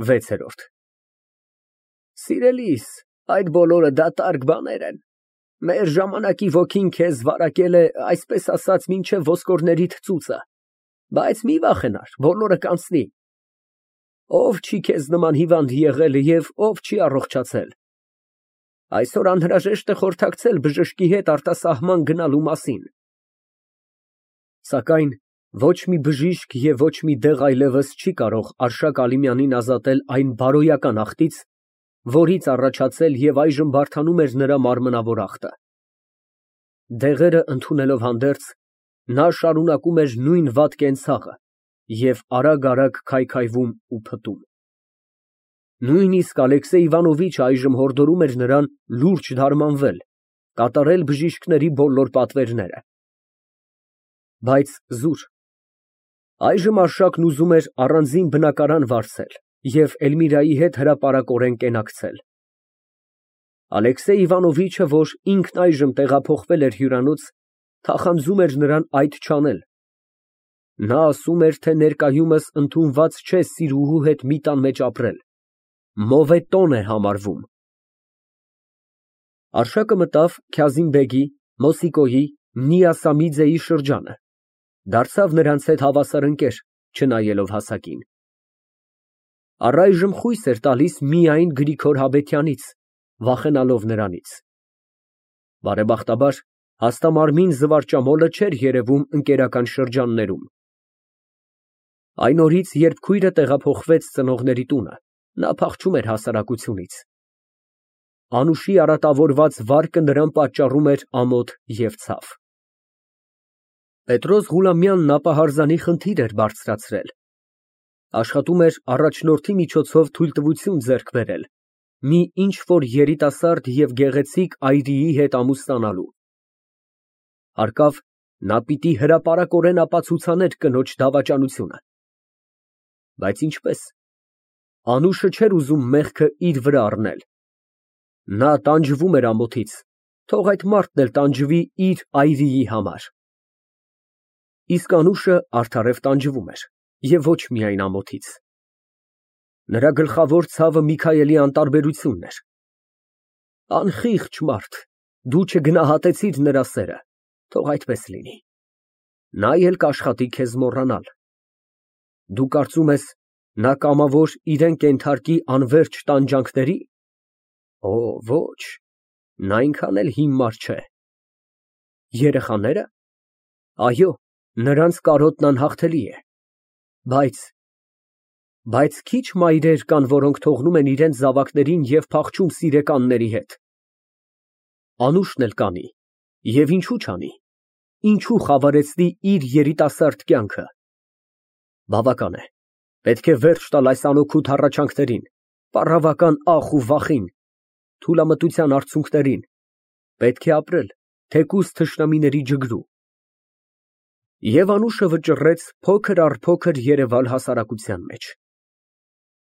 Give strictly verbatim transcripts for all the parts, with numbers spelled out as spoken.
վեցերորդ Սիրելիս, այդ բոլորը դատարկ բաներ են, մեր ժամանակի ոգին քեզ վարակել է, այսպես ասած, մինչև ոսկորներիդ ծուծը, բայց մի վախենար, բոլորը կանցնի, ով չի քեզ նման հիվանդ եղել և ով չի առողջացել, այսօր անհրաժեշտ է խորհրդակցել բժշկի հետ արտասահման գնալու մասին, սակայն ոչ մի բժիշկ և ոչ մի դեղ այլևս չի կարող Արշակ Ալիմյանին ազատել այն բարոյական ախտից, որից առաջացել և այժմ բարդանում էր նրա մարմնավոր ախտը։ Դեղերը ընդունելով հանդերձ, նա շարունակում էր նույն վատ կենցաղը և արագ֊արագ քայքայվում ու փտում։ Նույնիսկ Ալեքսեյ Իվանովիչը այժմ հորդորում էր նրան լուրջ դարմանվել, կատարել բժիշկների բոլոր պատվերները։ Բայց զուր։ Այժմ Արշակն ուզում էր առանձին բնակարան վարձել և Էլմիրայի հետ հրապարակորեն կենակցել։ Ալեքսեյ Իվանովիչը, որ ինքն այժմ տեղափոխվել էր հյուրանոց, թախանձում էր նրան այդ չանել։ Նա ասում էր, թե ներկայումս ընդունված չէ սիրուհու հետ մի տան մեջ ապրել, մովետոն է համարվում։ Արշակը մտավ Քազիմ֊բեգի, Մոսիկոյի, Նիասամիձեի շրջանը, դարձավ նրանց հետ հավասար ընկեր, չնայելով հասակին։ Առայժմ խույս էր տալիս միայն Գրիգոր Հաբեթյանից, վախենալով նրանից։ Բարեբախտաբար, հաստամարմին զվարճամոլը չէր երևում ընկերական շրջաններում։ Այն օրից, երբ քույրը տեղափոխվեց ծնողների տունը, նա փախչում էր հասարակությունից։ Անուշի արատավորված վարկը նրան պատճառում էր ամոթ և ցավ։ Պետրոս Ղուլամյանն ապահարզանի խնդիր էր բարձրացրել։ Աշխատում էր առաջնորդի միջոցով թույլտվություն ձեռք բերել մի ինչ֊որ երիտասարդ և գեղեցիկ այրիի հետ ամուսնանալու։ Հարկավ, նա պիտի հրապարակորեն ապացուցաներ կնոջ դավաճանությունը։ Բայց ինչպե՞ս։ Անուշը չէր ուզում մեղքը իր վրա առնել։ Նա տանջվում էր ամոթից, թող այդ մարդն էլ տանջվի իր այրիի համար։ Իսկ Անուշը արդարև տանջվում էր, և ոչ միայն ամոթից։ Նրա գլխավոր ցավը Միքայելի անտարբերությունն էր։ Անխիղճ մարդ, դու չգնահատեցիր նրա սերը, թող այդպես լինի, նա էլ կաշխատի քեզ մոռանալ։ Դու կարծում ես, նա կամավոր իրան կենթարկի անվերջ տանջանքների։ Օ, ոչ, նա այնքան էլ հիմար չէ։ Երեխաները։ Այո, նրանց կարոտն անհաղթելի է, բայց… Բայց քիչ մայրեր կան, որոնք թողնում են իրենց զավակներին և փախչում սիրեկանների հետ։ Անուշն էլ կանի, և ինչու չանի, ինչու խավարեցնի իր երիտասարդ կյանքը։ Բավական է, պետք է վերջ տալ այս անօգուտ հառաչանքներին, պառավական ախ ու վախին, թուլամտության արցունքներին, պետք է ապրել, թեկուզ թշնամիների ջգրու։ Եվ Անուշը վճռեց փոքր առ փոքր երևալ հասարակության մեջ։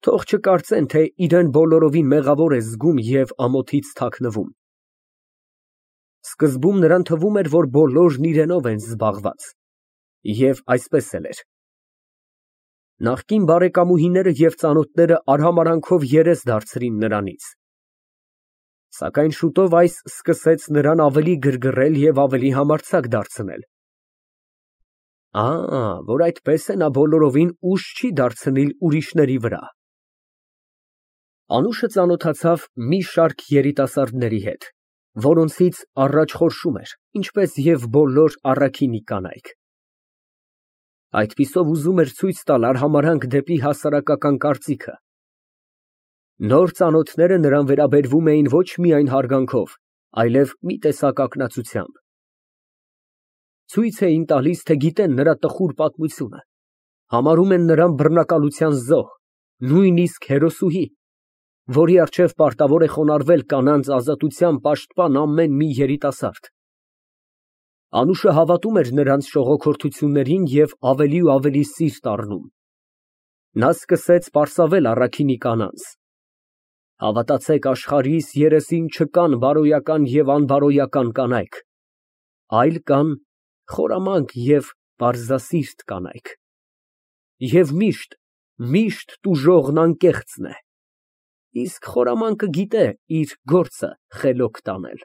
Թող չկարծեն, թե իրան բոլորովին մեղավոր է զգում և ամոթից թաքնվում։ Սկզբում նրան թվում էր, որ բոլորն իրենով են զբաղված, և այսպես էլ էր։ Նախկին բարեկամուհիները և ծանոթները արհամարհանքով երես դարձրին նրանից։ Սակայն շուտով այս սկսեց նրան ավելի գրգռել և ավելի համարձակ դարձնել։ Ա, որ այդպես է, նա բոլորովին ուժ չի դարձնիլ ուրիշների վրա։ Անուշը ծանոթացավ մի շարք երիտասարդների հետ, որոնցից առաջ խորշում էր, ինչպես և բոլոր առաքինի կանայք։ Այդպիսով ուզում էր ցույց տալ արհամարհանք դեպի հասարակական կարծիքը։ Նոր ծանոթները նրան վերաբերվում էին ոչ միայն հարգանքով, այլև մի տեսակ ակնածությամբ։ Ցույց էին տալիս, թե գիտեն նրա տխուր պատմությունը, համարում են նրան բռնակալության զոհ, նույնիսկ հերոսուհի, որի առջև պարտավոր է խոնարհվել կանանց ազատության պաշտպան ամեն մի երիտասարդ։ Անուշը հավատում էր նրանց շողոքորթություններին և ավելի ու ավելի սիրտ առնում։ Նա սկսեց պարսավել առաքինի կանանց. Հավատացեք, աշխարհիս երեսին չկան բարոյական և անբարոյական կանայք, այլ կան խորամանկ և պարզասիրտ կանայք։ Եվ միշտ Միշտ տուժողն անկեղծն է, իսկ խորամանկը գիտե իր գործը խելոք տանել։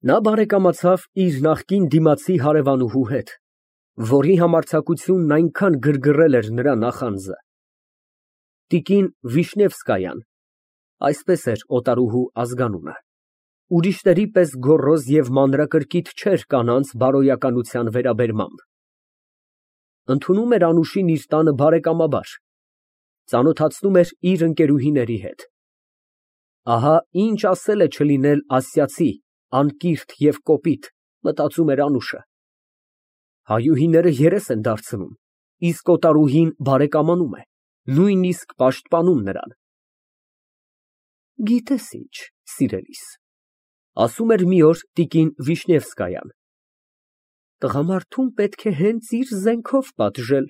Նա բարեկամացավ իր նախկին դիմացի հարևանուհու հետ, որի համարձակությունն այնքան գրգռել էր նրա նախանձը։ Տիկին Վիշնևսկայան (այսպես էր օտարուհու ազգանունը) ուրիշների պես գոռոզ և մանրակրկիտ չէր կանանց բարոյականության վերաբերմամբ։ Ընդունում էր Անուշին իր տանը բարեկամաբար, ծանոթացնում էր իր ընկերուհիների հետ։ Ահա ինչ ասել է չլինել ասիացի, անկիրք և կոպիտ, մտածում էր Անուշը։ Հայուհիները երես են դարձնում, իսկ օտարուհին բարեկամանում է, նույնիսկ պաշտպանում նրան։ Գիտես ինչ, սիրելիս, ասում էր մի օր տիկին Վիշնևսկայան, տղամարդուն պետք է հենց իր զենքով պատժել։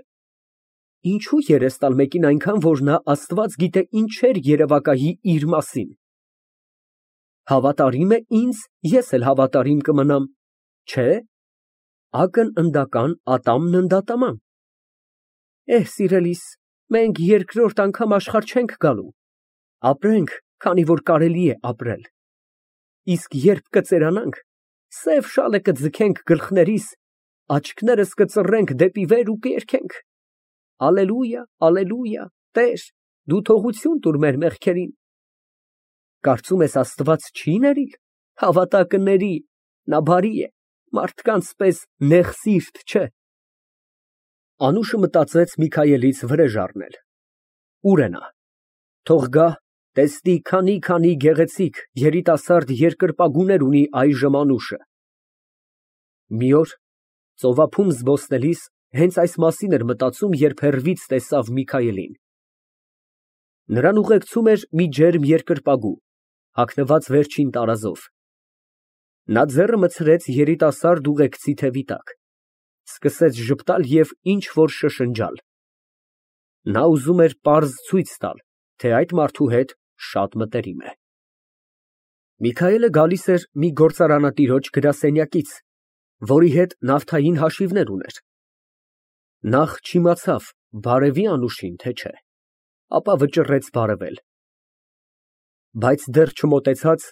Ինչու երես տալ մեկին այնքան, որ նա Աստված գիտե ինչեր երևակայի իր մասին։ Հավատարիմ է ինձ, ես էլ հավատարիմ կմնամ, չէ՞։ Ակն ընդական, ատամն ընդատաման։ Էհ, սիրելիս, մենք երկրորդ անգամ աշխարհ չենք գալու, ապրենք, քանի որ կարելի է ապրել, իսկ երբ կծերանանք, սև շալը կձգենք գլխներիս, աչքներս կծռենք դեպի վեր ու կերգենք. Ալելույա, ալելույա, Տեր, դու թողություն տուր մեր մեղքերին։ Կարծում ես Աստված չի ներիլ, հավատա կների, նա բարի է, մարդկանց պես նեղսիրտ չէ։ Անուշը մտածեց Միքայելից վրեժ առնել։ Ուր է նա։ Թող գա, տեսնի քանի֊քանի գեղեցիկ, երիտասարդ երկրպագուներ ունի այժմ Անուշը։ Մի օր ծովափում զբոսնելիս հենց այս մասին էր մտածում, երբ հեռվից տեսավ Միքայելին։ Նրան ուղեկցում էր մի ջերմ երկրպագու, հագնված վերջին տարազով։ Նա ձեռը մտցրեց երիտասարդ ուղեկցի թևի տակ, սկսեց ժպտալ և ինչ֊որ շշնջալ։ Նա ուզում էր պարզ ցույց տալ, թե այդ մարդու հետ շատ մտերիմ է։ Միքայելը գալիս էր մի գործարանատիրոջ գրասենյակից, որի հետ նավթային հաշիվներ ուներ։ Նախ չիմացավ բարևի Անուշին, թե չէ, ապա վճռեց բարևել։ Բայց դեռ չմոտեցած,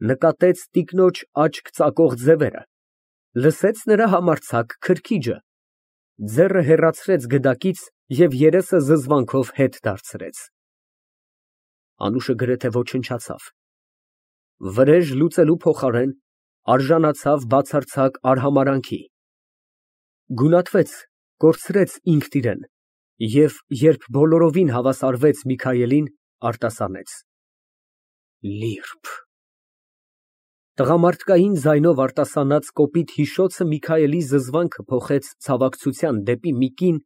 նկատեց տիկնոջ աչք ծակող ձևերը, լսեց նրա համարձակ քրքիջը, ձեռը հեռացրեց գդակից և երեսը զզվանքով հետ դարձրեց։ Անուշը գրեթե ոչնչացավ։ Վրեժ լուծելու փոխարեն արժանացավ բացարձակ արհամարհանքի։ Գունատվեց, կորցրեց ինքն իրեն և, երբ բոլորովին հավասարվեց Միքայելին, արտասանեց. Լիրբ։ Տղամարդկային ձայնով արտասանած կոպիտ հիշոցը Միքայելի զզվանքը փոխեց ցավակցության դեպի մի կին,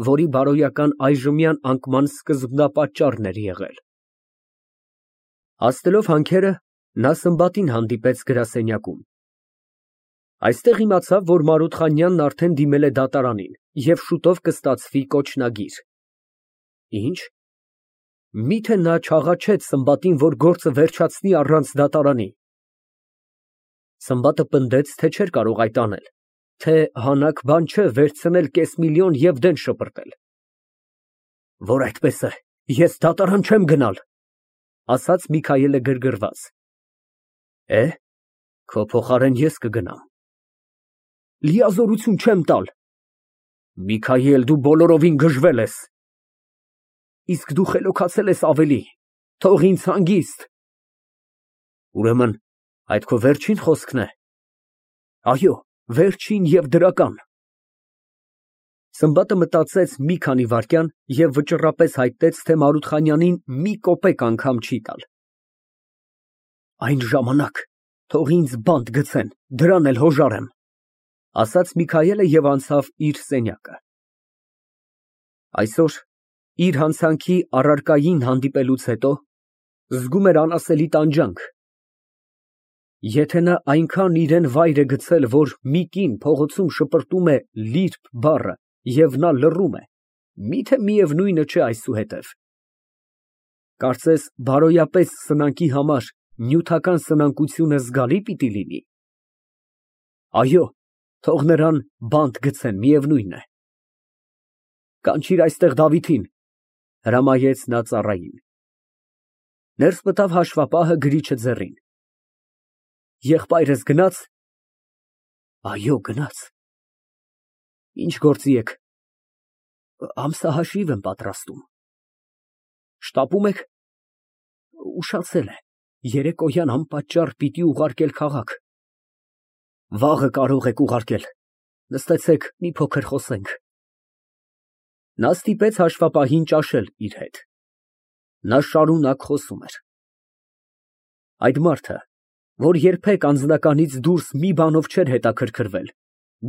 որի բարոյական այժմյան անկման սկզբնապատճառն էր եղել։ Հասնելով հանքերը, նա Սմբատին հանդիպեց գրասենյակում։ Այստեղ իմացավ, որ Մարութխանյանն արդեն դիմել է դատարանին և շուտով կստացվի կոչնագիր։ Ինչ։ Միթե նա չաղաչեց Սմբատին, որ գործը վերջացնի առանց դատարանի։ Սմբատը պնդեց, թե չէր կարող այդ անել, թե հանաք բան չէ վերցնել կես միլիոն և դեն շպրտել։ Որ այդպես է, ես դատարան չեմ գնալ, ասաց Միքայելը գրգռված։ Է, քո փոխարեն ես կգնամ։ Լիազորություն չեմ տալ։ Միքայել, դու բոլորովին գժվել ես։ Իսկ դու խելոքացել ես ավելի, թող ինձ հանգիստ։ Ուրեմն, այդ քո վերջին խոսքն է։ Այո, վերջին և դրական։ Սմբատը մտածեց մի քանի վայրկյան և վճռապես հայտնեց, թե Մարութխանյանին մի կոպեկ անգամ չի տալ։ Այն ժամանակ թող ինձ բանտ գցեն, դրան էլ հոժար եմ, ասաց Միքայելը և անցավ իր սենյակը։ Այսօր, իր հանցանքի առարկային հանդիպելուց հետո, զգում էր անասելի տանջանք։ Եթե նա այնքան իրան վայր է գցել, որ մի կին փողոցում շպրտում է «լիրբ» բառը և նա լռում է, միթե միևնույնը չէ այսուհետև։ Կարծես բարոյապես սնանկի համար նյութական սնանկությունը զգալի պիտի լինի։ Այո, թող նրան բանտ գցեն, միևնույն է։ Կանչիր այստեղ Դավիթին, հրամայեց նա ծառային։ Ներս մտավ հաշվապահը գրիչը ձեռին։ Եղբայրս գնա՞ց։ Այո, գնաց։ Ինչ գործի եք։ Ամսահաշիվ եմ պատրաստում։ Շտապում եք։ Ուշացել է, երեկոյան անպատճառ պիտի ուղարկել քաղաք։ Վաղը կարող եք ուղարկել, նստեցեք, մի փոքր խոսենք։ Նա ստիպեց հաշվապահին ճաշել իր հետ։ Նա շարունակ խոսում էր։ Այդ մարդը, որ երբեք անձնականից դուրս մի բանով չէր հետաքրքրվել,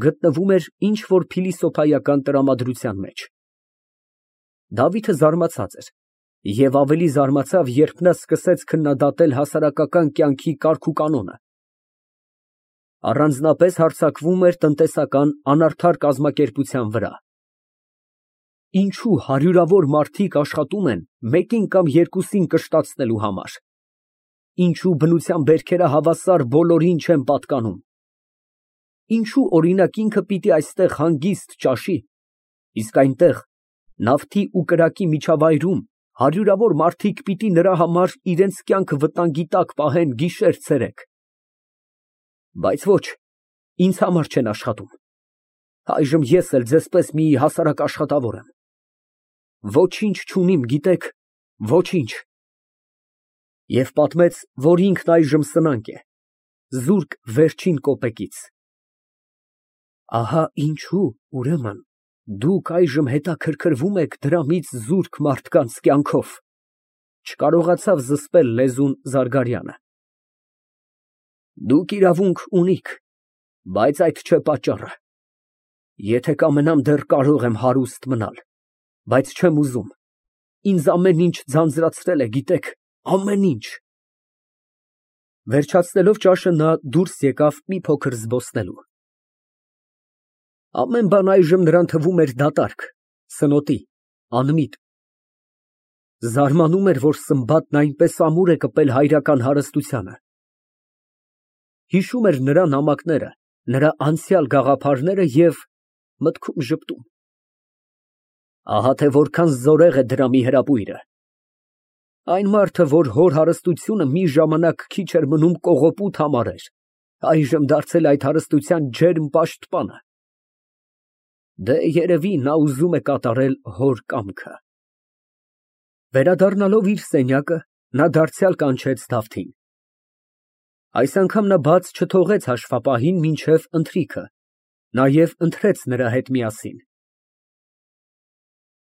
գտնվում էր ինչ֊որ փիլիսոփայական տրամադրության մեջ։ Դավիթը զարմացած էր և ավելի զարմացավ, երբ նա սկսեց քննադատել հասարակական կյանքի կարգուկանոնը։ Առանձնապես հարձակվում էր տնտեսական անարդար կազմակերպության վրա։ Ինչու հարյուրավոր մարդիկ աշխատում են մեկին կամ երկուսին կշտացնելու համար։ Ինչու բնության բերքերը հավասար բոլորին չեն պատկանում։ Ինչու օրինակ ինքը պիտի այստեղ հանգիստ ճաշի, իսկ այնտեղ նավթի ու կրակի միջավայրում հարյուրավոր մարդիկ պիտի նրա համար իրենց կյանքը վտանգի տակ պահեն գիշեր֊ցերեկ։ Բայց ոչ, ինձ համար չեն աշխատում։ Այժմ ես էլ ձեզպես մի հասարակ աշխատավոր եմ։ Ոչինչ չունիմ, գիտեք, ոչինչ։ Եվ պատմեց, որ ինքն այժմ սնանկ է, զուրկ վերջին կոպեկից։ Ահա ինչու, ուրեմն, դուք այժմ հետաքրքրվում եք դրամից զուրկ մարդկանց կյանքով, չկարողացավ զսպել լեզուն Զարգարյանը։ Դուք իրավունք ունիք, բայց այդ չէ պատճառը։ Եթե կամենամ, դեռ կարող եմ հարուստ մնալ, բայց չեմ ուզում։ Ինձ ամեն ինչ ձանձրացրել է, գիտեք, ամեն ինչ։ Վերջացնելով ճաշը, նա դուրս եկավ մի փոքր զբոսնելու։ Ամեն բան այժմ նրան թվում էր դատարկ, սնոտի, անմիտ։ Զարմանում էր, որ Սմբատն այնպես ամուր է կպել հայրական հարստությանը։ Հիշում էր նրա նամակները, նրա անցյալ գաղափարները և մտքում ժպտում։ Ահա թե որքան զորեղ է դրամի հրապույրը։ Այն մարդը, որ հոր հարստությունը մի ժամանակ քիչ էր մնում կողոպուտ համարեր, այժմ դարձել է այդ հարստության ջերմ պաշտպանը։ Դե, երևի, նա ուզում է կատարել հոր կամքը։ Վերադառնալով իր սենյակը, նա դարձյալ կանչեց Դավթին։ Այս անգամ նա բաց չթողեց հաշվապահին մինչև ընթրիքը, նաև ընթրեց նրա հետ միասին։